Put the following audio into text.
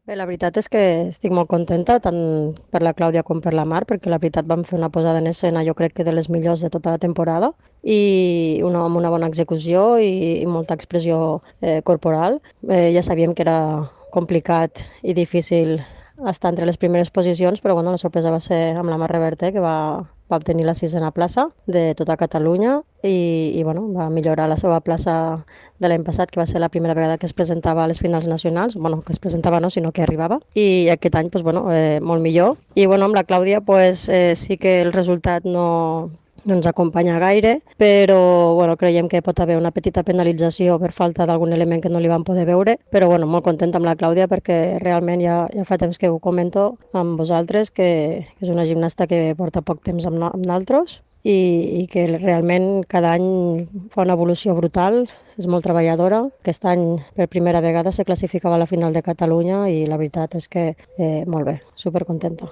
Bé, la veritat és que estic molt contenta, tant per la Clàudia com per la Mar, perquè la veritat vam fer una posada en escena, jo crec que de les millors de tota la temporada, i amb una bona execució i molta expressió corporal. Ja sabíem que era complicat i difícil estar entre les primeres posicions, però bueno, la sorpresa va ser amb la Mar Reverte, que va obtenir la sisena plaça de tota Catalunya i bueno, va millorar la seva plaça de l'any passat, que va ser la primera vegada que es presentava a les finals nacionals, bueno, que es presentava no, sinó que arribava, i aquest any pues, bueno, molt millor. I bueno, amb la Clàudia pues, sí que el resultat no ens acompanya gaire, però bueno, creiem que pot haver una petita penalització per falta d'algun element que no li van poder veure, però bueno, molt contenta amb la Clàudia perquè realment ja fa temps que ho comento amb vosaltres, que és una gimnasta que porta poc temps amb naltros i que realment cada any fa una evolució brutal, és molt treballadora. Aquest any per primera vegada se classificava a la final de Catalunya i la veritat és que molt bé, supercontenta.